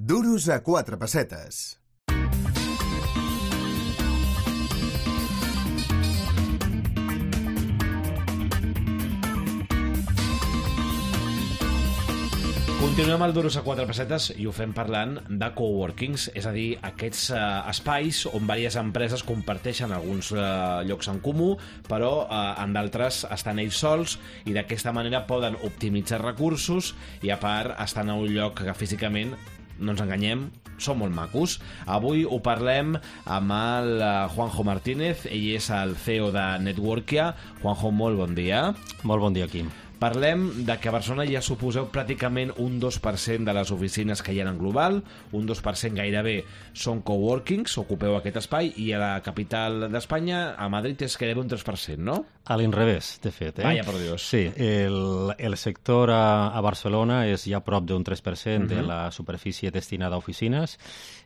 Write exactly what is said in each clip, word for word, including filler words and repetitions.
Duros a quatre pessetes. Continuem al Duros a quatre pessetes i ho fem parlant de coworkings, és a dir, aquests eh, espais on diverses empreses comparteixen alguns eh, llocs en comú, però eh, en d'altres estan ells sols i d'aquesta manera poden optimitzar recursos i a part estan a un lloc que físicament, no ens enganyem, són molt macos. Avui ho parlem amb el eh, Juanjo Martínez, ell és el C E O de Networkia. Juanjo, molt bon dia. Molt bon dia, Quim. Parlem de que a Barcelona ja suposeu pràcticament un dos per cent de les oficines que hi ha en global, un dos per cent gairebé són coworkings, ocupeu aquest espai, i a la capital d'Espanya, a Madrid, és gairebé un tres per cent, no? A l'inrevés, de fet. Eh? Vaya por Dios. Sí, el, el sector a, a Barcelona és ja prop d'un tres per cent uh-huh. de la superfície destinada a oficines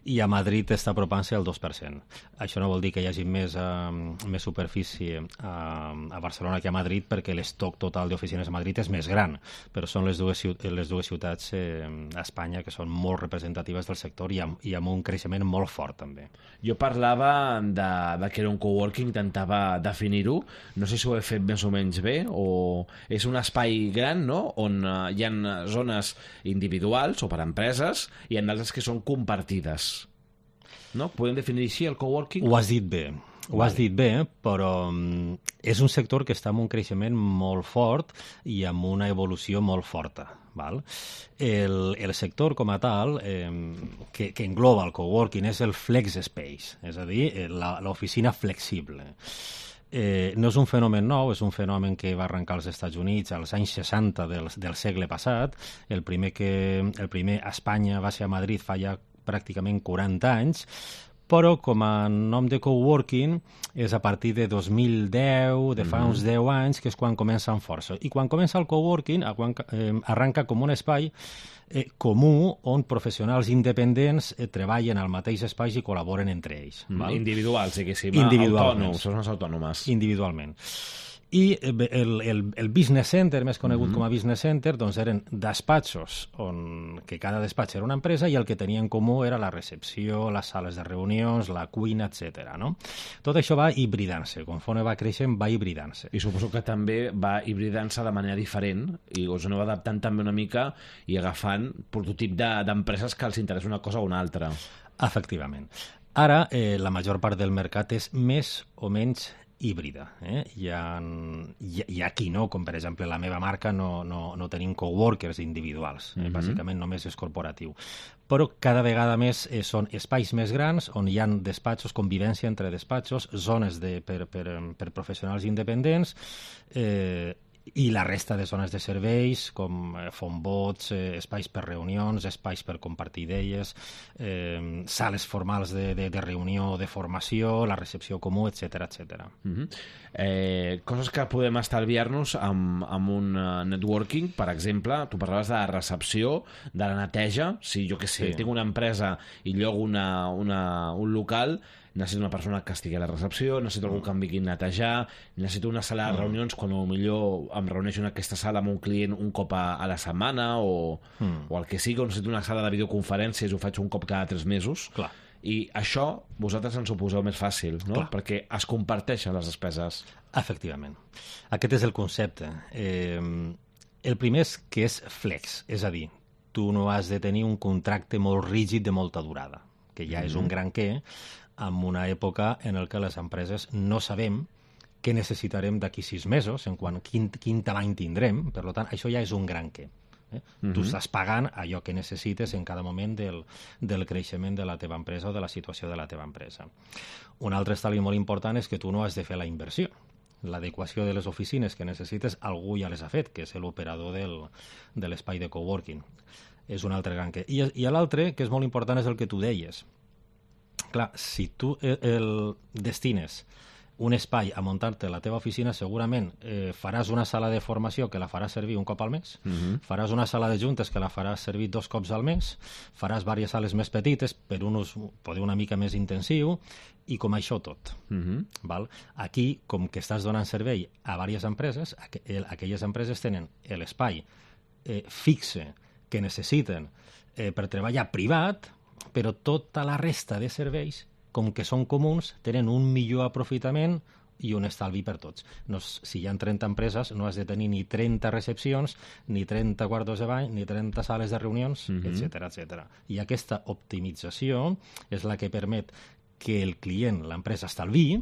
i a Madrid està apropant-se al dos per cent. Això no vol dir que hi hagi més, uh, més superfície a, a Barcelona que a Madrid, perquè l'estoc total d'oficines a Madrid és més gran, però són les dues, les dues ciutats eh, a Espanya que són molt representatives del sector i amb, i amb un creixement molt fort, també. Jo parlava de, de que era un coworking, intentava definir-ho. No sé si ho he fet més o menys bé, o és un espai gran, no?, on uh, hi ha zones individuals o per empreses i hi ha d'altres que són compartides. No? Podem definir així el coworking? Ho has dit bé. Ho has dit bé, però um, és un sector que està amb un creixement molt fort i amb una evolució molt forta. Val? El, el sector com a tal, eh, que, que engloba el coworking, és el flex space, és a dir, l'oficina flexible. Eh, no és un fenomen nou, és un fenomen que va arrencar als Estats Units als anys seixanta del, del segle passat. El primer, que, el primer a Espanya va ser a Madrid fa ja pràcticament quaranta anys, però com a nom de coworking és a partir de dos mil deu, de fa mm-hmm. uns deu anys, que és quan comença amb força. I quan comença el coworking, quan, eh, arranca com un espai eh, comú on professionals independents eh, treballen al mateix espai i col·laboren entre ells. Mm, val? Individuals, diguéssim, autònoms, són les autònomes. Individualment. I el, el, el business center, més conegut mm-hmm. com a business center, doncs eren despatxos, on, que cada despatx era una empresa i el que tenia en comú era la recepció, les sales de reunions, la cuina, etcètera. No? Tot això va hibridant-se, conforme va creixent va hibridant-se. I suposo que també va hibridant-se de manera diferent i us aneu adaptant també una mica i agafant prototip de, d'empreses que els interessa una cosa o una altra. Efectivament. Ara, eh, la major part del mercat és més o menys híbrida. Eh? Hi, ha, hi, hi ha qui no, com per exemple la meva marca, no, no, no tenim coworkers individuals, eh? Mm-hmm. Bàsicament només és corporatiu. Però cada vegada més eh, són espais més grans on hi ha despatxos, convivència entre despatxos, zones de, per, per, per professionals independents, eh, i la resta de zones de serveis, com eh, fonbots, eh, espais per reunions, espais per compartir idees, eh, sales formals de, de, de reunió, de formació, la recepció comú, etcètera, etcètera. Mm-hmm. eh, coses que podem estalviar-nos amb, amb un uh, networking, per exemple, tu parlaves de la recepció, de la neteja. Si jo que sé, sí. tinc una empresa i llogo una, una, un local, necessito una persona que estigui a la recepció, necessito algú que em vingui a netejar, necessito una sala de reunions quan millor em reuneixo en aquesta sala amb un client un cop a, a la setmana o, mm. o el que sigui, o necessito una sala de videoconferències, ho faig un cop cada tres mesos. Clar. I això vosaltres ens ho poseu més fàcil, no? Clar. Perquè es comparteixen les despeses. Efectivament. Aquest és el concepte. Eh, el primer és que és flex, és a dir, tu no has de tenir un contracte molt rígid de molta durada, que ja mm-hmm. és un gran què, en una època en què les empreses no sabem què necessitarem d'aquí sis mesos, en quant quin, quin tamany tindrem, per tant, això ja és un gran què. Eh? Mm-hmm. Tu estàs pagant allò que necessites en cada moment del, del creixement de la teva empresa o de la situació de la teva empresa. Un altre estalvi molt important és que tu no has de fer la inversió. L'adequació de les oficines que necessites, algú ja les ha fet, que és l'operador del, de l'espai de coworking. És un altre gran què. I, i l'altre, que és molt important, és el que tu deies. Clar, si tu el destines un espai a muntar-te la teva oficina, segurament eh, faràs una sala de formació que la faràs servir un cop al mes, mm-hmm. faràs una sala de juntes que la faràs servir dos cops al mes, faràs diverses sales més petites per un ús poder una mica més intensiu, i com això tot. Mm-hmm. Val? Aquí, com que estàs donant servei a diverses empreses, aqu aquelles empreses tenen l'espai eh, fixe que necessiten eh, per treballar privat, però tota la resta de serveis, com que són comuns, tenen un millor aprofitament i un estalvi per tots. No, si hi ha trenta empreses, no has de tenir ni trenta recepcions, ni trenta quartos de bany, ni trenta sales de reunions, mm-hmm. etcètera, etcètera. I aquesta optimització és la que permet que el client, l'empresa, estalviï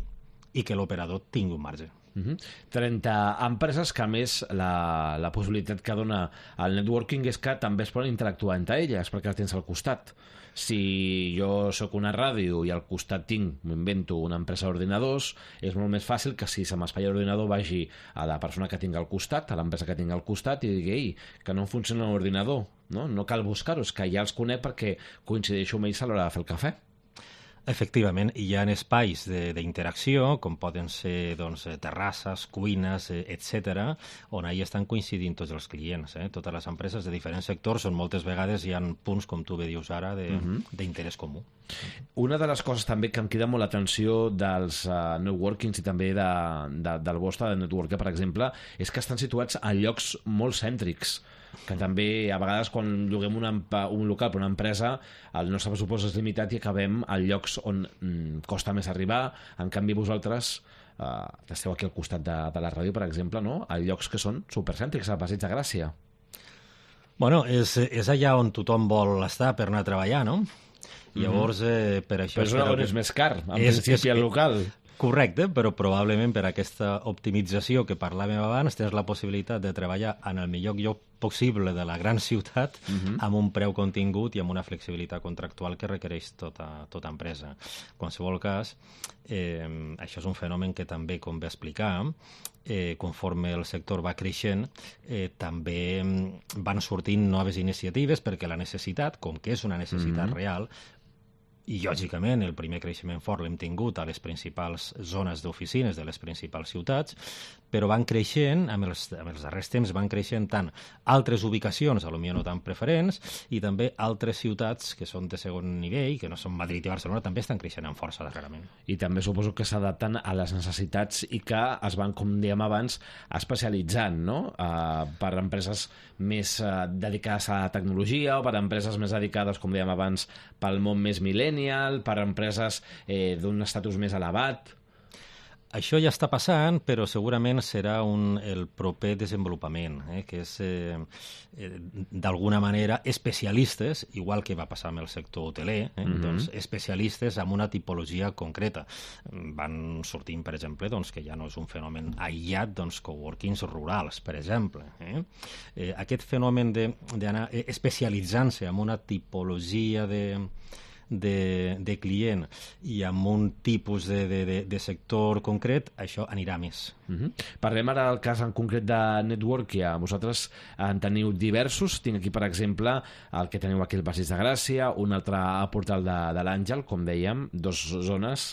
i que l'operador tingui un marge. Uh-huh. trenta empreses que, a més, la, la possibilitat que dona el networking és que també es poden interactuar entre elles, perquè les tens al costat. Si jo sóc una ràdio i al costat tinc, m'invento, una empresa d'ordinadors, és molt més fàcil que si se m'espatlla l'ordinador vagi a la persona que tinc al costat, a l'empresa que tinc al costat, i digui, ei, que no funciona l'ordinador. No, no cal buscar-ho, és que ja els conec perquè coincideixo amb ells a l'hora de fer el cafè. Efectivament, hi ha espais d'interacció, com poden ser doncs, terrasses, cuines, etcètera, on ahí estan coincidint tots els clients. Eh? Totes les empreses de diferents sectors, on moltes vegades hi ha punts, com tu bé dius ara, d'interès uh-huh. comú. Una de les coses també que em crida molt l'atenció dels uh, networkings i també de, de, del vostre de networker, per exemple, és que estan situats a llocs molt cèntrics, que també a vegades quan lloguem una, un local per una empresa el nostre pressupost és limitat i acabem a llocs on mm, costa més arribar. En canvi vosaltres eh, esteu aquí al costat de, de la ràdio, per exemple, no? A llocs que són supercèntrics, al Passeig de Gràcia. Bueno, és, és allà on tothom vol estar per anar a treballar, no? Llavors, eh, per això... Però és on és més car, en principi, el local. Correcte, però probablement per aquesta optimització que parlàvem abans tens la possibilitat de treballar en el millor lloc possible de la gran ciutat uh-huh. amb un preu contingut i amb una flexibilitat contractual que requereix tota, tota empresa. En qualsevol cas, eh, això és un fenomen que també, com va explicar, eh, conforme el sector va creixent, eh, també van sortint noves iniciatives perquè la necessitat, com que és una necessitat uh-huh. real, i, lògicament, el primer creixement fort l'hem tingut a les principals zones d'oficines de les principals ciutats, però van creixent, amb els, amb els darrers temps van creixent tant altres ubicacions, potser no tan preferents, i també altres ciutats que són de segon nivell, que no són Madrid i Barcelona, també estan creixent amb força darrerament. I també suposo que s'adapten a les necessitats i que es van, com dèiem abans, especialitzant, no? Uh, per empreses més uh, dedicades a la tecnologia o per empreses més dedicades, com dèiem abans, pel món més millennial, per empreses eh, d'un estatus més elevat. Això ja està passant, però segurament serà un, el proper desenvolupament, eh, que és, eh, eh, d'alguna manera, especialistes, igual que va passar amb el sector hoteler, eh, mm-hmm. doncs, especialistes amb una tipologia concreta. Van sortint, per exemple, doncs, que ja no és un fenomen aïllat, doncs, coworkings rurals, per exemple. Eh? Eh, aquest fenomen d'anar especialitzant-se en una tipologia de... De, de client i amb un tipus de, de, de, de sector concret, això anirà més. Uh-huh. Parlem ara del cas en concret de Networkia. Vosaltres en teniu diversos. Tinc aquí, per exemple, el que teniu aquí al Passeig de Gràcia, un altre a Portal de, de l'Àngel, com dèiem, dos zones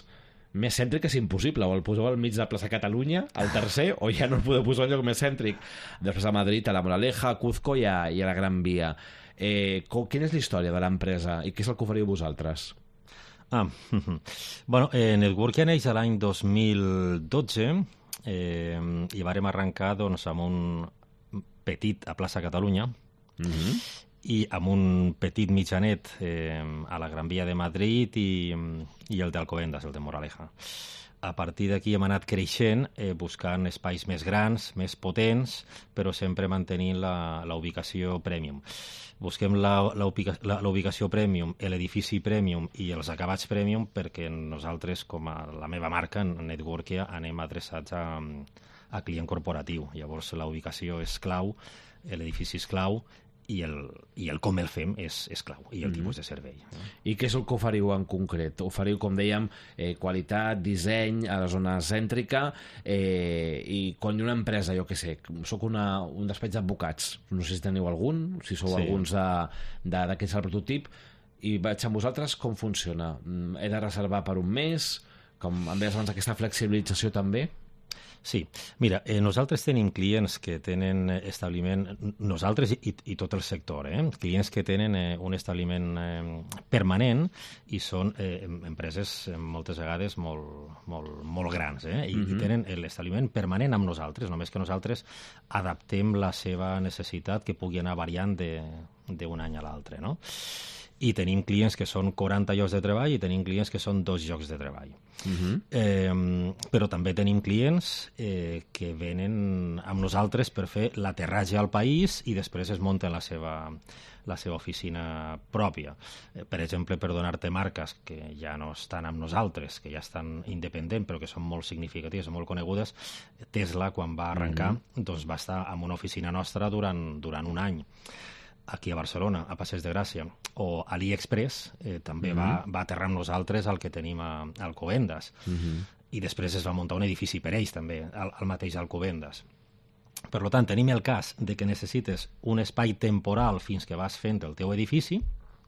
més cèntriques impossible. O el poseu al mig de plaça Catalunya, al tercer, o ja no el podeu posar en lloc més cèntric. Després a Madrid, a la Moraleja, a Cuzco i a, i a la Gran Via. Eh, com, quina és la història de l'empresa i què és el que oferiu vosaltres? Ah, bueno, eh, Networkia neix l'any dos mil dotze eh, i vàrem arrencar doncs, amb un petit a plaça Catalunya mm-hmm. i amb un petit mitjanet eh, a la Gran Via de Madrid i, i el d'Alcobendas, el de Moraleja. A partir d'aquí hem anat creixent, eh, buscant espais més grans, més potents, però sempre mantenint la, la ubicació premium. Busquem la, la, ubica, la, la ubicació premium, l'edifici premium i els acabats premium perquè nosaltres, com a la meva marca, en Networkia, anem adreçats a, a client corporatiu. Llavors, la ubicació és clau, l'edifici és clau, i el, i el com el fem és, és clau, i el mm-hmm. tipus de servei. I què és el que oferiu en concret? Oferiu, com dèiem, eh, qualitat, disseny a la zona cèntrica, eh, i quan hi ha una empresa, jo què sé, soc una, un despatx d'advocats, no sé si teniu algun, si sou sí. alguns d'aquests al prototip, i vaig amb vosaltres, com funciona? He de reservar per un mes? Com em deies abans, aquesta flexibilització també? Sí, mira, eh, nosaltres tenim clients que tenen establiment, nosaltres i, i tot el sector, eh? clients que tenen eh, un establiment eh, permanent i són eh, empreses eh, moltes vegades molt, molt, molt grans, eh? I, mm-hmm. i tenen l'establiment permanent amb nosaltres, només que nosaltres adaptem la seva necessitat que pugui anar variant d'un any a l'altre, no? I tenim clients que són quaranta llocs de treball i tenim clients que són dos llocs de treball. Uh-huh. eh, però també tenim clients eh, que venen amb nosaltres per fer l'aterratge al país i després es munten la seva, la seva oficina pròpia. Eh, per exemple, per donar-te marques que ja no estan amb nosaltres, que ja estan independents, però que són molt significatives, molt conegudes, Tesla, quan va arrencar, uh-huh. doncs va estar en una oficina nostra durant, durant un any. Aquí a Barcelona, a Passeig de Gràcia, o AliExpress, eh, també mm-hmm. va, va aterrar amb nosaltres el que tenim a Alcobendas. Mm-hmm. I després es va muntar un edifici per ells, també, al, al mateix Alcobendas. Per tant, tenim el cas de que necessites un espai temporal fins que vas fent el teu edifici,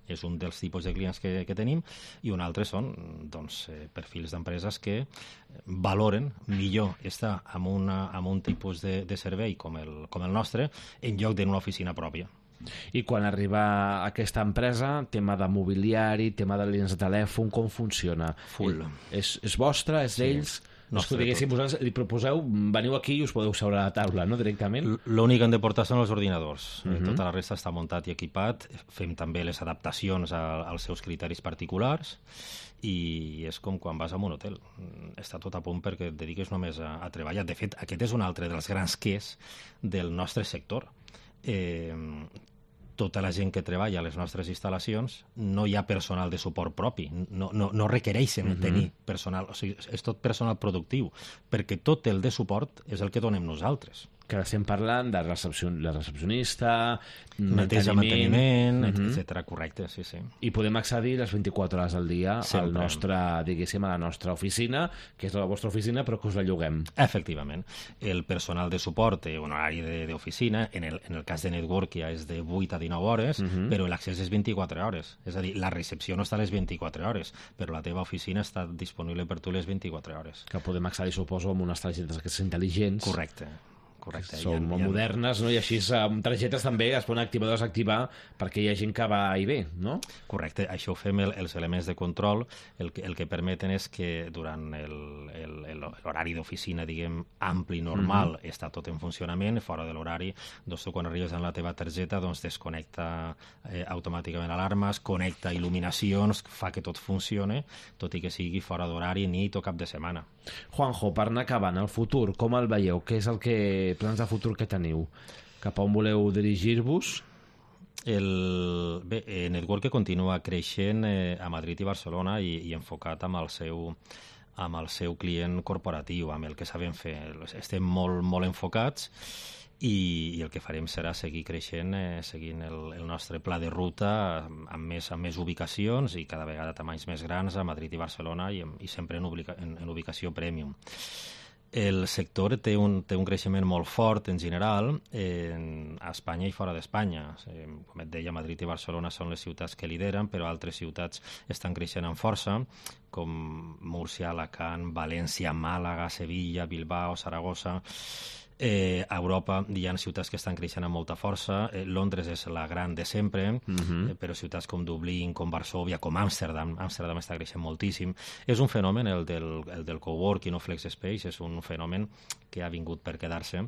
és un dels tipus de clients que, que tenim, i un altre són doncs, eh, perfils d'empreses que valoren millor estar en, una, en un tipus de, de servei com el, com el nostre en lloc d'una oficina pròpia. I quan arriba aquesta empresa, tema de mobiliari, tema de línies de telèfon, com funciona? Full. És, és vostre, és d'ells? Sí. No, és que diguéssim, vosaltres li proposeu, veniu aquí i us podeu seure a la taula, no?, directament? L'únic que han de portar són els ordinadors. Uh-huh. Tota la resta està muntat i equipat. Fem també les adaptacions a, als seus criteris particulars i és com quan vas a un hotel. Està tot a punt perquè et dediques només a, a treballar. De fet, aquest és un altre dels grans quers del nostre sector. Eh, tota la gent que treballa a les nostres instal·lacions no hi ha personal de suport propi, no, no, no requereixen uh-huh. tenir personal, o sigui, és tot personal productiu, perquè tot el de suport és el que donem nosaltres. Que estem parlant de recepcion... la recepcionista, neteja, manteniment, uh-huh. etcètera. Correcte, sí, sí. I podem accedir les vint-i-quatre hores al dia Sempre. al nostre, diguéssim, a la nostra oficina, que és la vostra oficina, però que us la lloguem. Efectivament. El personal de suport té un horari d'oficina, en el, en el cas de Network ja és de vuit a dinou hores, uh-huh. però l'accés és vint-i-quatre hores. És a dir, la recepció no està a les vint-i-quatre hores, però la teva oficina està disponible per tu les vint-i-quatre hores. Que podem accedir, suposo, amb unes targetes que són intel·ligents. Correcte. Correcte. Són molt modernes, no? I així amb targetes també es poden activar o desactivar perquè hi ha gent que va i ve, no? Correcte. Això ho fem el, els elements de control. El que, el que permeten és que durant l'horari d'oficina, diguem, ampli, normal, mm-hmm. està tot en funcionament. Fora de l'horari, doncs tu quan arribes amb la teva targeta, doncs desconnecta eh, automàticament alarmes, connecta il·luminacions, fa que tot funcione, tot i que sigui fora d'horari, nit o cap de setmana. Juanjo, per anar acabant, el futur, com el veieu? Què és el que plans de futur que teniu? Cap a on voleu dirigir-vos? El, bé, eh, Network continua creixent eh, a Madrid i Barcelona i, i enfocat amb el seu amb el seu client corporatiu, amb el que sabem fer. Estem molt, molt enfocats i, i el que farem serà seguir creixent, eh, seguint el, el nostre pla de ruta amb més, amb més ubicacions i cada vegada tamanys més grans a Madrid i Barcelona i, i sempre en, ubica, en, en ubicació premium. El sector té un, té un creixement molt fort en general en, a Espanya i fora d'Espanya. Com et deia, Madrid i Barcelona són les ciutats que lideren, però altres ciutats estan creixent amb força, com Múrcia, Alacant, València, Màlaga, Sevilla, Bilbao, Saragossa. Eh, a Europa hi ha ciutats que estan creixent amb molta força. eh, Londres és la gran de sempre, uh-huh. eh, però ciutats com Dublín, com Varsòvia, com Amsterdam, Amsterdam està creixent moltíssim. És un fenomen, el del, el del coworking o flex space, és un fenomen que ha vingut per quedar-se,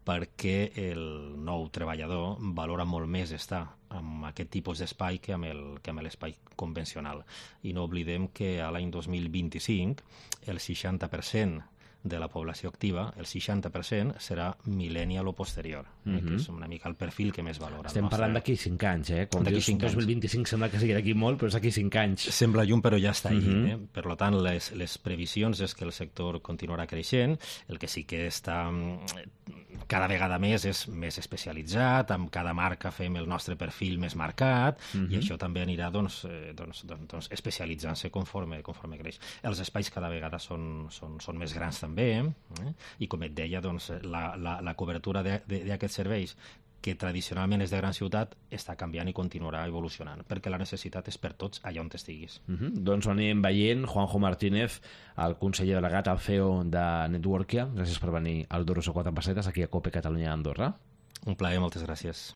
perquè el nou treballador valora molt més estar amb aquest tipus d'espai que amb el, que amb l'espai convencional. I no oblidem que a l'any dos mil vint-i-cinc el seixanta per cent de la població activa, el seixanta per cent serà millennial o posterior, mm-hmm. eh, que és una mica el perfil que més valora. Estem parlant d'aquí cinc anys, eh? Com dius, dos mil vint-i-cinc sembla que sigui d'aquí molt, però és d'aquí cinc anys. Sembla lluny, però ja està mm-hmm. allí. Eh? Per tant, les, les previsions és que el sector continuarà creixent, el que sí que està cada vegada més és més especialitzat, amb cada marca fem el nostre perfil més marcat, mm-hmm. i això també anirà doncs, eh, doncs, doncs, doncs especialitzant-se conforme, conforme creix. Els espais cada vegada són, són, són més grans també, eh? I com et deia, doncs, la, la, la cobertura d'aquests serveis que tradicionalment és de gran ciutat, està canviant i continuarà evolucionant, perquè la necessitat és per tots allà on estiguis. Uh -huh. Doncs ho anem veient. Juanjo Martínez, el conseller delegat, el C E O de Networkia, gràcies per venir al Duros a quatre pessetes aquí a COPE Catalunya Andorra. Un plaer, moltes gràcies.